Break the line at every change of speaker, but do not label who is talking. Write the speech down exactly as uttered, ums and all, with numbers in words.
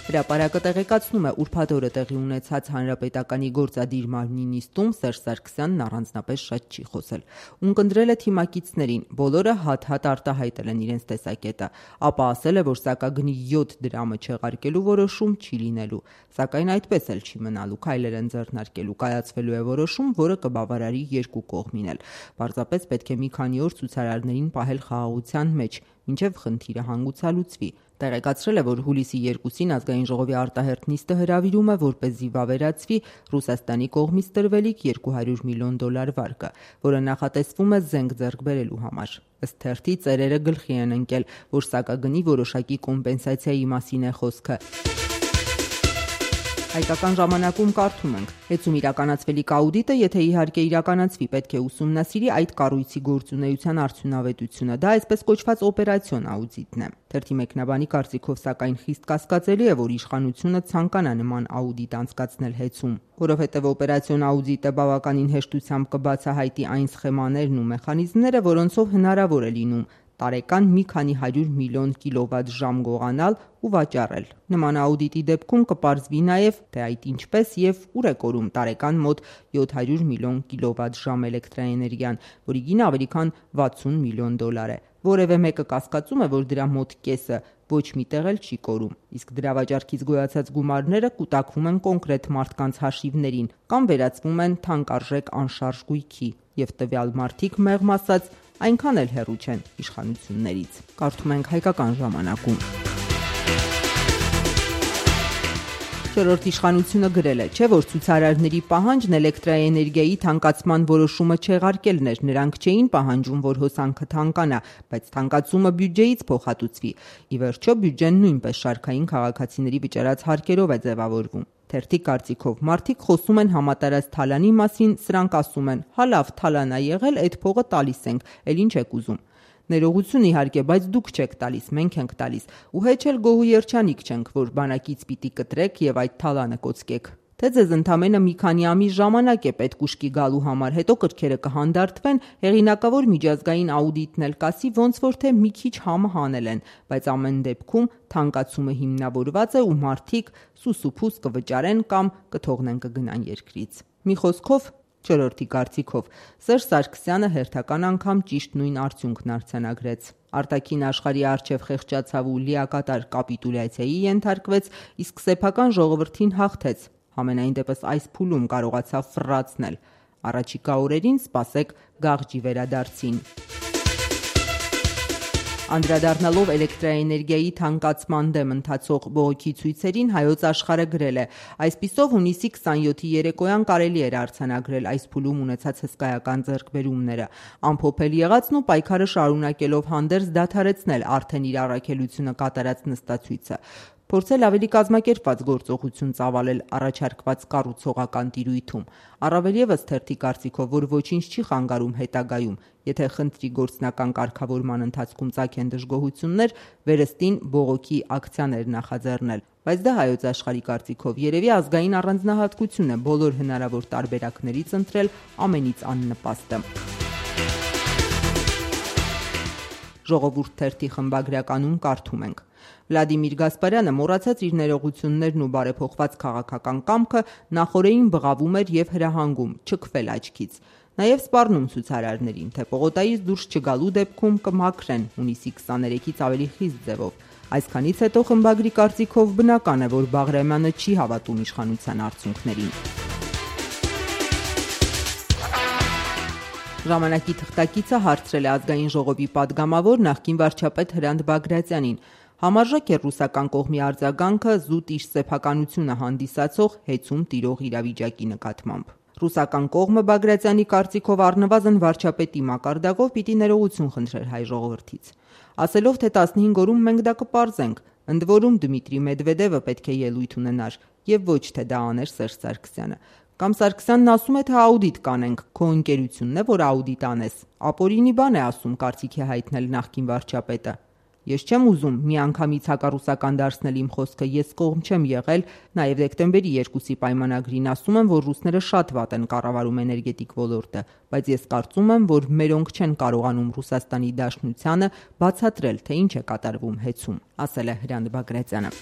Հրապարակը տեղեկացնում է, ուրբաթ օրը տեղի ունեցած Հանրապետականի գործադիր մարմնի նիստում Սերժ Սարգսյանն առանձնապես շատ չի խոսել։ Ունկնդրել է թիմակիցներին, բոլորը հատ-հատ արտահայտել են իրենց տեսակետը, ապա ասել է, որ սակագնի յոթ դրամը չեղարկելու որոշում չի լինելու, սակայն այդպես էլ չի մնալու, քայլեր են ձեռնարկելու, կայացվելու է որոշում, որը կբավարարի երկու կողմին էլ։ Պարզապես պետք է մի քանի օր ցուցարարներին պահել խաղաղության մեջ, մինչև խնդիրը հանգուցալուծվի։ Տեղեկացրել է, որ հուլիսի երկուսին ազգային ժողովի արտահերթ նիստը հրավիրում է, որպեսզի վավերացվի Ռուսաստանի կողմից տրվելիք երկու հարյուր միլիոն դոլար վարկը, որը նախատեսվում է զենք ձեռք բերելու համար։ Ըստ թերթի ծերերը գլխի են ընկել, որ սակագնի որոշակի կոմպենսացիայի մասին է խոսքը։ Հայկական ժամանակում կարդում ենք. Հեծում իրականացվելիք աուդիտը, եթե իհարկե իրականացվի, պետք է ուսումնասիրի այդ կառույցի գործունեության արդյունավետությունը, դա այսպես կոչված օպերացիոն աուդիտն է։ Թերթի մեկնաբանի կարծիքով սակայն խիստ կասկածելի է, որ իշխանությունը ցանկանա նման աուդիտ անցկացնել հեծում, որովհետև օպերացիոն աուդիտը բավականին հեշտությամբ կբացահայտի այն սխեմաներն ու մեխանիզմները, որոնցով հնարավոր է լինում տարեկան մի քանի հարյուր միլիոն կիլովատ ժամ գողանալ ու վաճառել։ Նման աուդիտի դեպքում կպարզվի նաև, թե այդ ինչպես եւ ուր է կորում տարեկան մոտ յոթ հարյուր միլիոն կիլովատ ժամ էլեկտրաէներգիան, որի գինը ավելի քան վաթսուն միլիոն դոլար է։ Որևէ մեկը կասկածում է, որ դրա մոտ կեսը ոչ մի տեղ էլ չի կորում, իսկ դրա վաճառքից գոյացած գումարները կուտակվում են կոնկրետ մարդկանց հաշիվներին կամ վերածվում են թանկարժեք անշարժ գույքի, եւ տվյալ մարդիկ, մեղմ ասած, այնքան էլ հեռու չեն իշխանություններից։ Կարդում ենք Հայկական ժամանակում։ Չորրորդ իշխանությունը գրել է, չէ՞ որ ցուցարարների պահանջն էլեկտրաէներգիայի թանկացման որոշումը չեղարկելն էր, նրանք չէին պահանջում, որ հոսանքը թանկանա, բայց թանկացումը բյուջեից փոխհատուցվի։ Ի վերջո բյուջեն նույնպես շարքային քաղաքացիների վճարած հարկերով է ձևավորվում։ Թերթի կարծիքով մարդիկ խոսում են համատարած թալանի մասին, սրանք ասում են՝ հա լավ, թալան ա եղել, այդ փողը տալիս ենք, էլ ինչ եք ուզում։ Ներողություն իհարկե, բայց դուք չեք տալիս, մենք ենք տալիս, ու հեչ էլ գոհու երջանիկ չենք, որ բանակից պիտի կտրեք եւ այդ թալանը կոծկեք։ Թե ձեզ ընդամենը մի քանի ամիս ժամանակ է պետք ուշքի գալու համար, հետո կրքերը կհանդարտվեն, հեղինակավոր միջազգային աուդիտն էլ կասի, ոնց որ թե մի քիչ համը հանել են, բայց ամեն դեպքում թանկացումը հիմնավորված է ու մարդիկ սուսուփուս կվճարեն կամ կթողնեն կգնան երկրից։ Մի խոսքով, չորրորդի կարծիքով, Սերժ Սարգսյանը հերթական անգամ ճիշտ նույն արդյունքն արձանագրեց։ Արտաքին աշխարհի առջև խեղճացավ ու լիակատար կապիտուլյացիայի ենթարկվեց, իսկ սեփական ժողովրդին հաղթեց։ Համենայն դեպս այս փուլում կարողացավ ֆռացնել։ Առաջիկա օրերին սպասեք գաղջի վերադարձին։ Անդրադառնալով էլեկտրաէներգիայի թանկացման դեմ ընթացող բողոքի ցույցերին, Հայոց Աշխարհը գրել է. այսպիսով հունիսի քսանյոթի երեկոյան կարելի էր արձանագրել այս փուլում ունեցած հսկայական ձեռքբերումները, ամփոփել եղածն ու պայքարը շարունակելով հանդերձ դադարեցնել արդեն իր առաքելությունը կատարած նստացույցը, փորձել ավելի կազմակերպված գործողություն ծավալել առաջարկված կառուցողական տիրույթում։ Առավել ևս թերթի կարծիքով, որ ոչինչ չի խանգարում հետագայում, եթե խնդրի գործնական կարգավորման ընթացքում ծագեն դժգոհություններ, վերստին բողոքի ակցիաներ նախաձեռնել։ Բայց դա Հայոց Աշխարհի կարծիքով երևի ազգային առանձնահատկություն է բոլոր հնարավոր տարբերակներից ընտրել ամենից աննպաստը։ Ժողովուրդ թերթի խմբագրականում կարդում ենք. Վլադիմիր Գասպարյանը մոռացած իր ներողություններն ու բարեփոխված քաղաքական կամքը նախօրեին բղավում էր եւ հրահանգում չքվել աչքից։ Նաեւ սպառնում ցուցարարներին, թե պողոտայից դուրս չգալու դեպքում կմաքրեն հունիսի քսաներեքից ավելի խիստ ձևով։ Այսքանից հետո խմբագրի կարծիքով բնական է, որ Բաղրամյանը չի հավատում իշխանության արդյունքներին։ Ժամանակի թղթակիցը հարցրել է ազգային ժողովի падգամավոր նախկին վարչապետ Հրանտ Բագրատյանին. Համարժեք է ռուսական կողմի արձագանքը զուտ իր սեփականությունը հանդիսացող հեծում տիրող իրավիճակի նկատմամբ։ Ռուսական կողմը Բագրատյանի կարծիքով առնվազն վարչապետի մակարդակով պիտի ներողություն խնդրեր հայ ժողովրդից, ասելով, թե տասնհինգ օրում մենք դա կպարզենք, ընդ որում Դմիտրի Մեդվեդևը պետք է ելույթ ունենար եւ ոչ թե դա աներ Սերժ Սարգսյանը։ Կամ Սարգսյանն ասում է, թե աուդիտ կանենք, քո ընկերությունն է, որ աուդիտ անես։ Ապօրինի բան է ասում, կարծիք է հայտնել նախկին վարչապետը։ Ես չեմ ուզում միանգամից հակառուսական դարձնել իմ խոսքը, ես կողմ չեմ եղել, նաև դեկտեմբերի երկուսի պայմանագրին ասում եմ, որ ռուսները շատ վատ են կառավարում էներգետիկ ոլորտը, բայց ես կարծում եմ, որ մերոնք չեն կարողանում Ռուսաստանի Դաշնությանը բացատրել, թե ինչ է կատարվում հեծում, ասել է Հրանտ Բագրատյանը։